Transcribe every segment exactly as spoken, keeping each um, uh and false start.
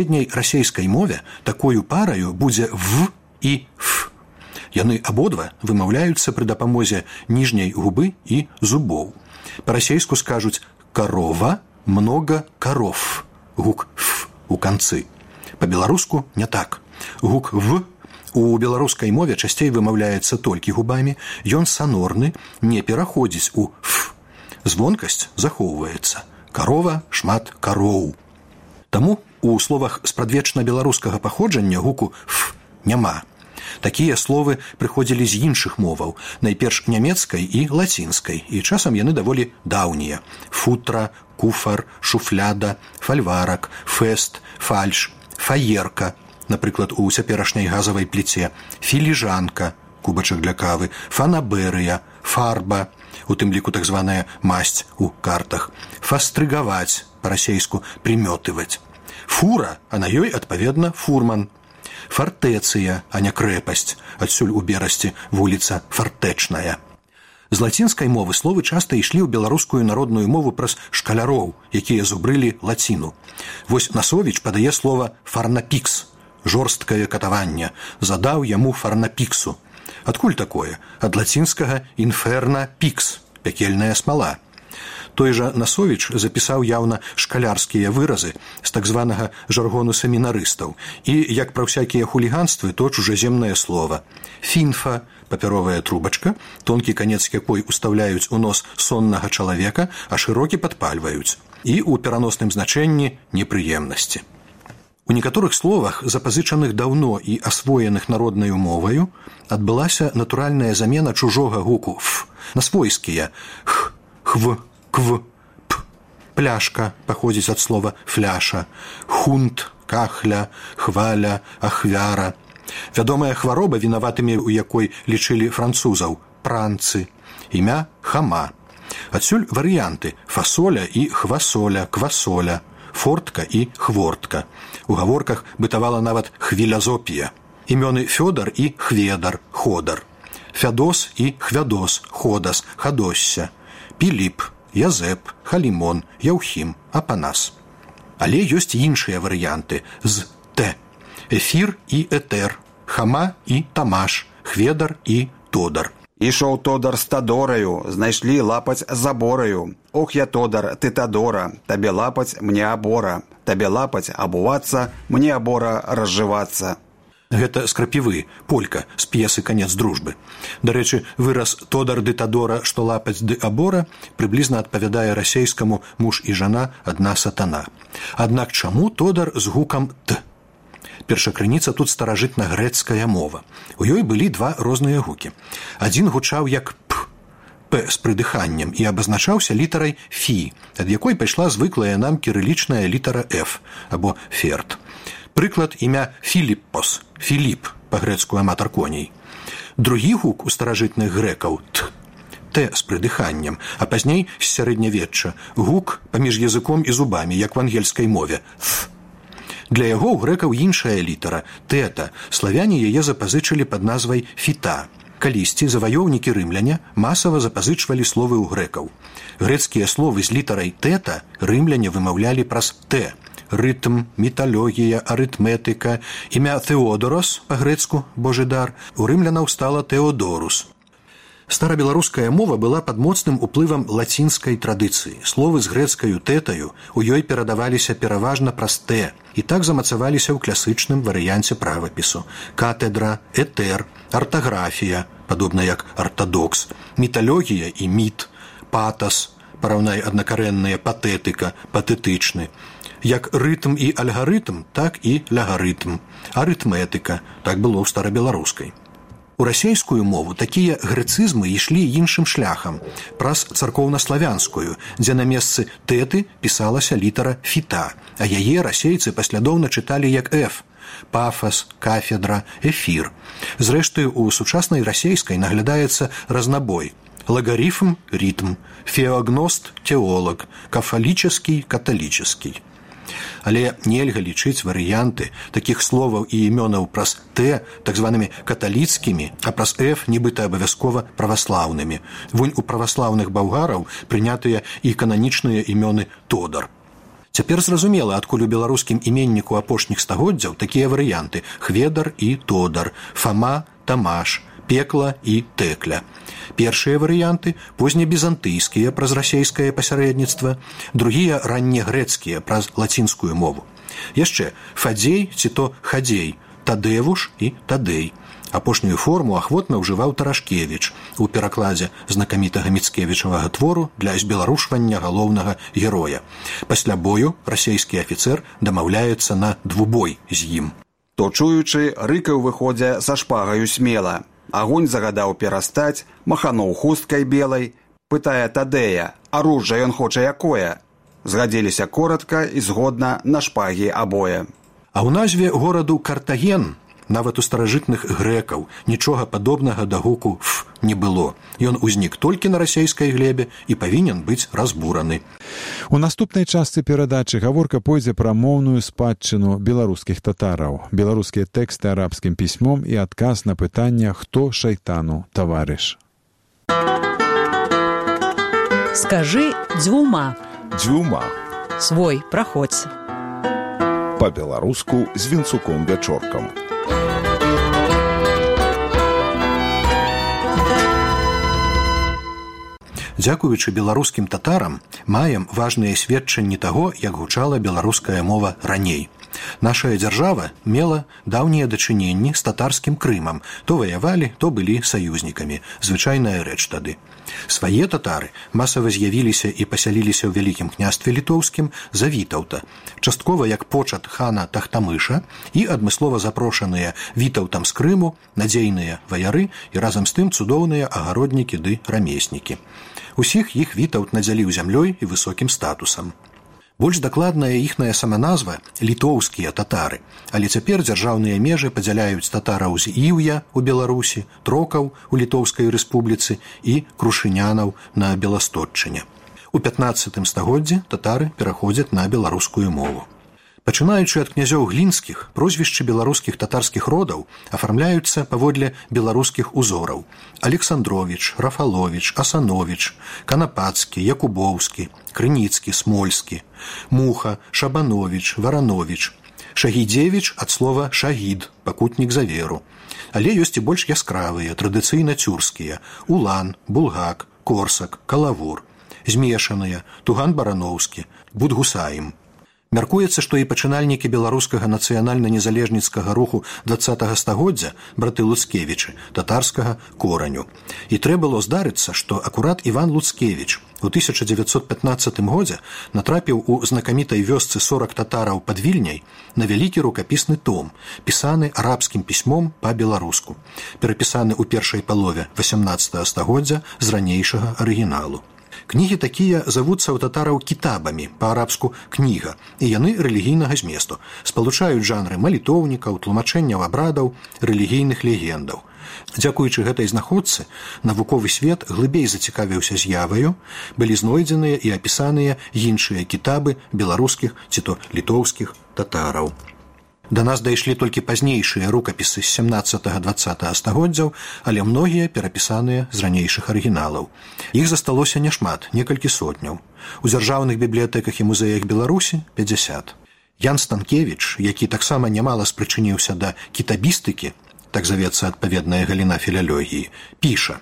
сярэдняй расейскай мове такою параю будзе «в» і «ф». Яны абодва вымаўляюцца пры дапамозе ніжняй губы і зубоў. Па-расейску скажуць «карова», «много коров», гук «ф» у канцы. Па-беларуску не так. Гук «в» у беларускай мове часцей вымаўляецца толькі губамі, ён санорны, не пераходзіць у «ф». Звонкасць захоўваецца. Карова, шмат кароў. Таму у словах спрадвечна беларускага паходжання гуку «ф» няма. Такія словы прыходзілі з іншых моваў, найперш нямецкай і лацінскай, і часам яны даволі даўнія. Футра, куфар, шуфляда, фальварак, фэст, фальш, фаерка, напрыклад, у цяперашняй газавай пліце, філіжанка, кубачак для кавы, фанаберыя, фарба, у тым ліку так званая масць у картах, фастрыгаваць, па-расейску прымётываць, фура, а на ёй, адпаведна, фурман, фартэцыя, а не крэпасць, адсюль у Берасці вуліца Фартэчная. З лацінскай мовы словы часта ішлі ў беларускую народную мову праз шкаляроў, якія зубрылі лаціну. Вось Насовіч падае слова «фарнапікс», жорсткае катаванне, задаў яму фарнапіксу. Адкуль такое? Ад лацінскага «інферна пікс», пякельная смала. Той жа Насовіч запісаў яўна шкалярскія выразы з так званага жаргону семінарыстаў і, як пра ўсякія хуліганствы, то чужаземнае слова. Фінфа, папяровая трубачка, тонкі канец якой уставляюць у нос соннага чалавека, а шырокі падпальваюць. І ў пераносным значэнні непрыемнасці. У некаторых словах, запазычаных даўно і асвоеных народнаю моваю, адбылася натуральная замена чужога гуку «ф» на свойскія «х», «хв», «кв», «п». Пляшка паходзіць ад слова «фляша», хунт, кахля, хваля, ахвяра. Вядомая хвароба, вінаватымі ў якой лічылі французаў – пранцы, імя хама. Адсюль варыянты фасоля і хвасоля, квасоля, фортка і хвортка. У гаворках бытавала нават хвілязопія. Імёны Фёдар і Хведар, ходар. Фядос і Хвядос, ходас, хадосся. Піліп, Язэп, Халімон, Яўхім, Апанас. Але ёсць іншыя варыянты з «т». Эфір і этэр, хама і тамаш, хведар і тодар. Ішоў тодар з тадораю, знайшлі лапаць забораю. Ох, я тодар, ты тадора, табе лапаць, мне абора. Табе лапаць, абувацца, мне абора разжывацца. Гэта з крапівы, полька, з п'есы «Канец дружбы». Дарэчы, выраз «тодар ды тадора, што лапаць ды абора» прыблізна адпавядае расейскаму «муж і жана, адна сатана». Аднак чаму тодар з гукам «т»? Першакрыніца тут старажытна-грэцкая мова. У ёй былі два розныя гукі. Адзін гучаў як «п», «п» з прыдыханнем і абазначаўся літарай «фі», ад якой пайшла звыклая нам кірылічная літара «ф» або «ферт». Прыклад імя Філіппос, Філіп, па-грэцку аматар коней. Другі гук у старажытных грэкаў «т», «т» з прыдыханнем, а пазней з сярэднявечча, гук паміж языком і зубамі, як в ангельскай мове «th». Для яго ў грэкаў іншая літара «тэта», славяне яе запазычылі пад назвай «фіта». Калісьці заваёўнікі рымляне масава запазычвалі словы ў грэкаў. Грэцкія словы з літарай «тэта» рымляне вымаўлялі праз «т». Рытм, металогія, арытметыка, імя Теодорос, па-грэцку «божы дар», у рымлянаў стала Теодорус. Старабеларуская мова была пад моцным уплывам лацінскай традыцыі. Словы з грэцкаю «тэтаю» у ёй перадаваліся пераважна праз «т» і так замацаваліся ў класычным варыянце правапісу. Катедра, этэр, артаграфія, падобна як артадокс, металогія і міт, патас, параўнай аднакарэнныя патэтыка, патэтычны. Як рытм і альгарытм, так і лягарытм. Арытметыка, так было ў старабеларускай. У расейскую мову такія грэцызмы ішлі іншым шляхам, праз царкоўнаславянскую, дзе на месцы «тэты» пісалася літара «фіта», а яе расейцы паслядоўна чыталі як «эф». Пафас, кафедра, эфір. Зрэшты, у сучаснай расейскай наглядаецца разнабой. Лагарифм – ритм, феогност – теолог, кафалічаскі – каталічаскі. Але нельга лічыць варыянты такіх словаў і імёнаў праз «т» так званымі каталіцкімі, а праз «ф» нібыта абавязкова праваслаўнымі. Вунь у праваслаўных балгараў прынятыя і кананічныя імёны Тодар. Цяпер зразумела, адкуль у беларускім іменніку апошніх стагоддзяў такія варыянты: Хведар і Тодар, Фама, Тамаш, Пекла і Тэкля. Першыя варыянты познебізантыйскія праз расейскае пасярэдніцтва, другія раннегрэцкія праз лацінскую мову. Яшчэ Фадзей ці то Хадзей, Тадэвуш і Тадэй. Апошнюю форму ахвотна ўжываў Тарашкевіч у перакладзе знакамітага міцкевічавага твору для збеларушвання галоўнага героя. Пасля бою расейскі афіцэр дамаўляецца на двубой з ім. То чуючы, рыкаў выходзя са шпагаю смела. Агонь загадаў перастаць, махануў хусткай белай, пытае Тадэя: «Аружжа ён хоча якое?» Згадзіліся коротка і згодна на шпагі абое. А ў назве гораду Картаген нават у старажытных грэкаў нічога падобнага да гуку «ф» не было. Ён узнік толькі на расейскай глебе і павінен быць разбураны. У наступнай частцы перадачы гаворка пойдзе пра моўную спадчыну беларускіх татараў, беларускія тэксты арабскім пісьмом і адказ на пытанне «Хто шайтану таварыш?». Скажы дзвюма. Дзвюма. Свой, праходзь. Па-беларуску з Вінцуком Вячоркам. Дзякуючы беларускім татарам маем важныя сведчанні таго, як гучала беларуская мова раней. Нашая дзяржава мела даўнія дачыненні з татарскім Крымам. То ваявалі, то былі саюзнікамі. Звычайная рэч тады. Свае татары масава з'явіліся і пасяліліся ў Вялікім княстве літоўскім за Вітаўта, часткова як почат хана Тахтамыша і адмыслова запрошаныя Вітаўтам з Крыму, надзейныя ваяры і разам з тым цудоўныя агароднікі ды рамеснікі. Усіх іх Вітаўт надзяліў зямлёй і высокім статусам. Больш дакладная іхная саманазва – літоўскія татары, але цяпер дзяржаўныя межы падзяляюць татараў з Іўя ў Беларусі, трокаў у Літоўскай рэспубліцы і крушынянаў на Беластотчыне. У пятнаццатым стагоддзі татары пераходзяць на беларускую мову. Пачынаючы ад князёў глінскіх, прозвішчы беларускіх татарскіх родаў афармляюцца паводле беларускіх узораў: Александровіч, Рафаловіч, Асановіч, Канапацкі, Якубоўскі, Крыніцкі, Смольскі, Муха, Шабановіч, Варановіч, Шагідзевіч ад слова «шагід», пакутнік за веру. Але ёсць і больш яскравыя, традыцыйна цюрскія: Улан, Булгак, Корсак, Калавур, змешаныя: Туган Барановскі, Будгусаім. Мяркуецца, што і пачынальнікі беларускага нацыянальна-незалежніцкага руху дваццатага стагоддзя, браты Луцкевічы, татарскага кораню. І трэ было здарыцца, што акурат Іван Луцкевіч у тысяча дзевяцьсот пятнаццатым годзе натрапіў у знакамітай вёсцы сорак татараў пад Вільняй на вялікі рукапісны том, пісаны арабскім пісьмом па-беларуску, перапісаны ў першай палове васямнаццатага стагоддзя з ранейшага арыгіналу. Кнігі такія завуцца ў татараў кітабамі, па-арабску «кніга», і яны рэлігійнага зместу, спалучаюць жанры малітоўнікаў, тлумачэнняў абрадаў, рэлігійных легендаў. Дзякуючы гэтай знаходцы, навуковы свет глыбей зацікавіўся з'яваю, былі знойдзеныя і апісаныя іншыя кітабы беларускіх ці то літоўскіх татараў. Да нас дайшлі толькі пазнейшыя рукапісы з сямнаццатага-дваццатага стагоддзяў, але многія перапісаныя з ранейшых арыгіналаў. Іх засталося няшмат, некалькі сотняў. У дзяржаўных бібліятэках і музеях Беларусі – пятьдесят. Ян Станкевіч, які таксама нямала спрычыніўся да кітабістыкі, так завецца адпаведная галіна філалогіі, піша: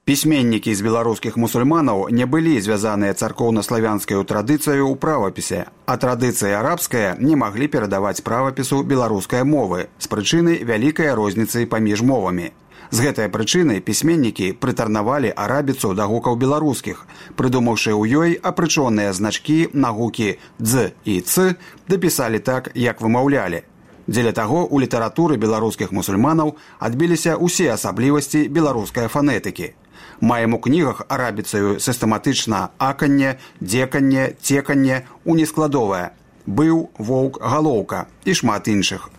Пісьменнікі з беларускіх мусульманаў не былі звязаныя царкоўна-славянскаю традыцыю ў правапісе, а традыцыя арабская не маглі перадаваць правапісу беларускай мовы з прычыны вялікай розніцы паміж мовамі. З гэтай прычыны пісьменнікі прытарнавалі арабіцу да гукаў беларускіх, прыдумаўшы ў ёй апрычоныя значкі на гукі «дз» і «ц», дапісалі так, як вымаўлялі. Дзеля таго у літаратуры беларускіх мусульманаў адбіліся ўсе асаблівасці беларускай фанетыкі. Маем у кнігах арабіцаю сістэматычна аканне, дзеканне, цеканне, унескладовае, быў, воўк, галоўка і шмат іншых.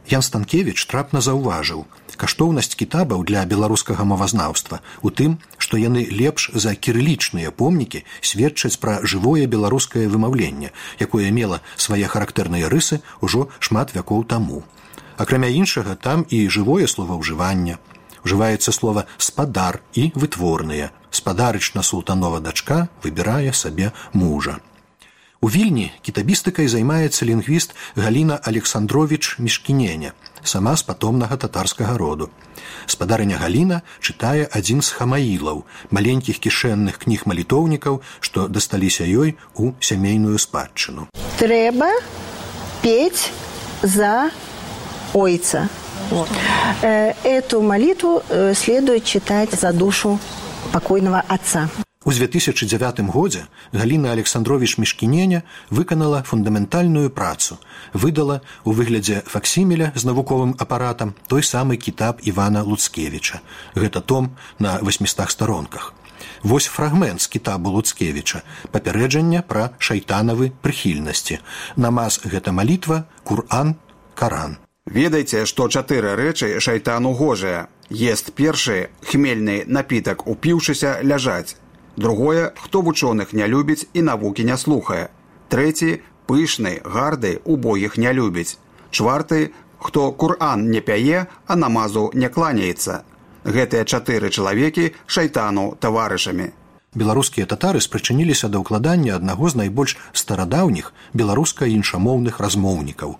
Ян Станкевіч трапна заўважыў: каштоўнасць кітабаў для беларускага мовазнаўства у тым, што яны лепш за кірылічныя помнікі сведчаць пра жывое беларускае вымаўленне, якое мела свае характэрныя рысы ўжо шмат вякоў таму. Акрамя іншага, там і жывое словаўжыванне. Ужываецца слова «спадар» і «вытворныя». Спадарычна султанова дачка выбірае сабе мужа. У Вільні кітабістыкай займаецца лінгвіст Галіна Александровіч Мішкіненя, сама з патомнага татарскага роду. Спадарыня Галіна чытае адзін з хамаілаў, маленькіх кішэнных кніг малітоўнікаў, што дасталіся ёй у сямейную спадчыну. Трэба петь за ойца. Вот. Эту молитву следует читать за душу покойного отца. У две тысячи девятым годзе Галіна Александровіч Мішкіненя выканала фундаментальную працу, выдала у выглядзе факсіміля з навуковым апаратам той самы кітаб Івана Луцкевіча. Гэта том на восьмістах старонках. Вось фрагмент з кітабу Луцкевіча, папярэджання пра шайтанавы прыхільнасці. Намаз гэта малітва, Кур'ан, Каран. Ведайце, што чатыры рэчы шайтану гожыя. Ест першы, хмельны напітак упіўшыся, ляжаць. Другое, хто вучоных не любіць і навукі не слухае. Трэці, пышны, гарды, убогіх не любіць. Чварты, хто Кур'ан не пяе, а намазу не кланяецца. Гэтыя чатыры чалавекі шайтану таварышамі. Беларускія татары спрычыніліся да ўкладання аднаго з найбольш старадаўніх беларуска-іншамоўных размоўнікаў.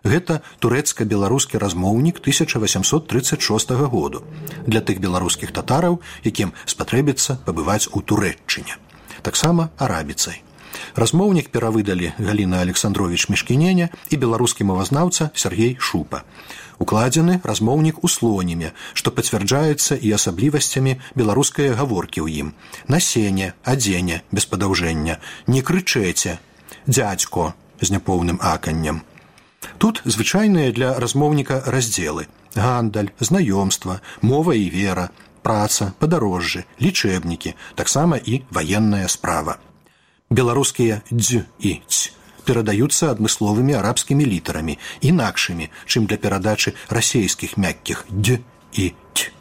Гэта турэцка-беларускі размоўнік тысяча васямсот трыццаць шостага году для тых беларускіх татараў, якім спатрэбіцца пабываць у Турэччыне. Таксама арабіцай. Размоўнік перавыдалі Галіна Александровіч Мішкіненя і беларускі мовазнаўца Сергей Шупа. Укладзены размоўнік у слоніме, што пацвярджаецца і асаблівасцямі беларускай гаворкі ў ім. Насене, адзене, без падаўжэння, не крычэце, дзядзько з няпоўным аканнем. Тут звычайныя для размоўніка раздзелы: гандаль, знаёмства, мова і вера, праца, падарожжы, лічэбнікі, таксама і ваенная справа. Беларускія дз і ць перадаюцца адмысловымі арабскімі літарамі, інакшымі, чым для перадачы расейскіх мяккіх д і ць.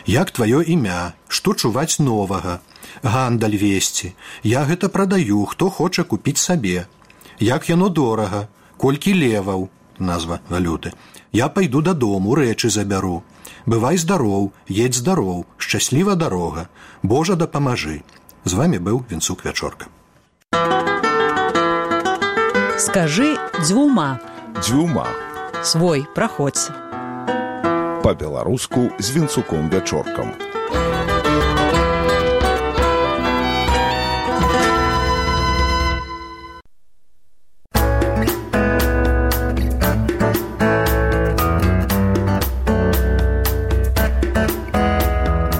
Як тваё імя, што чуваць новага, гандаль весці, я гэта прадаю, хто хоча купіць сабе, як яно дорага, колькі леваў, назва валюты. Я пайду дадому, рэчы забяру. Бывай здароў, едь здароў, шчасліва дарога. Божа дапамажы. З вамі быў Вінцук Вячорка. Скажы дзвюма. Дзвюма. Свой праходзь. Па-беларуску з Вінцуком Вячоркам.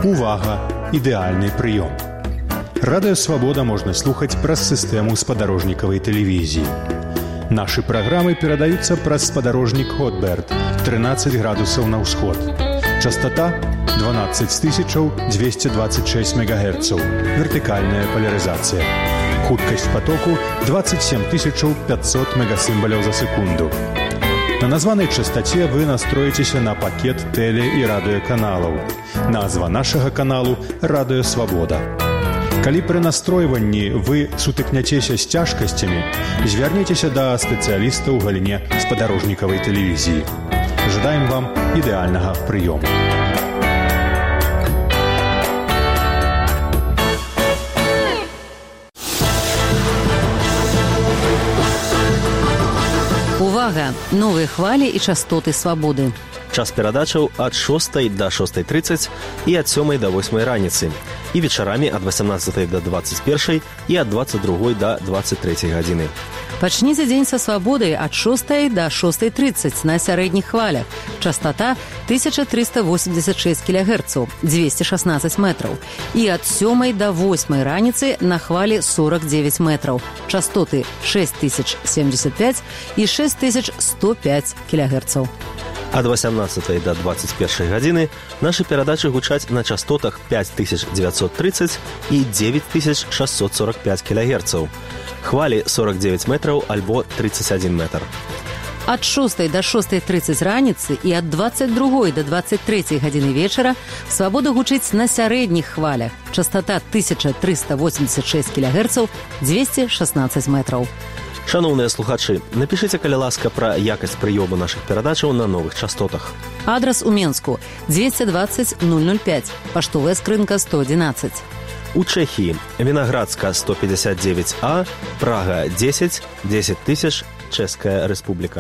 Увага! Ідэальны прыём. Радыё Свабода можна слухаць праз сістэму спадарожнікавай тэлевізіі. Нашы праграмы перадаюцца праз спадарожнік Хотберт, трынаццаць градусаў на ўсход. Частата дванаццаць тысяч дзвесце дваццаць шэсць мегагерцаў. Вертыкальная палярызацыя. Хуткасць патоку дваццаць сем тысяч пятьсот мегасімбаляў за секунду. На названай частаце вы настроіцеся на пакет тэле- і радыёканалаў. Назва нашага каналу «Радыё Свабода». Калі пры настройванні вы сутыкняцеся з цяжкасцямі, звярніцеся да спецыяліста ў галіне спадарожнікавай тэлевізіі. Жадаем вам ідэальнага прыёму. Увага! Новыя хвалі і частоты свабоды. Час перадачаў ад шостай да шостай трыццаць і ад сёмай да восьмай раніцы. І вечарамі ад васямнаццатай да дваццаць першай і ад дваццаць другой да дваццаць трэцяй гадзіны. Пачніце дзень са свабодай ад шостай да шостай трыццаць на сярэдніх хвалях. Частата тысяча трыста восемьдесят шесть кілогерцаў, дзвесце шаснаццаць метраў. І ад сёмай да восьмай раніцы на хвалі сорок девять метраў. Частоты шесть тысяч семьдесят пять і шесть тысяч сто пять кілогерцаў. Ад васямнаццатай да дваццаць першай гадзіны нашы перадачы гучаць на частотах пять тысяч девятьсот тридцать і девять тысяч шестьсот сорок пять кілогерцаў. Хвалі сорок девять метраў альбо тридцать один метр. Ад шостай да шостай трыццаць раніцы і ад дваццаць другой да дваццаць трэцяй гадзіны вечара свабода гучыць на сярэдніх хвалях. Частота тысяча триста восемьдесят шесть кілогерцаў, дзвесце шаснаццаць метраў. Шановныя слухачы, напішыце, калі ласка, пра якасць прыёму нашых перадачаў на новых частотах. Адрас у Менску двести двадцать ноль ноль пять, паштовая скрынка сто одиннадцать. У Чэхіі Вінаградска сто пятьдесят девять А, Прага десять, десять тысяч, Чэшская Рэспубліка.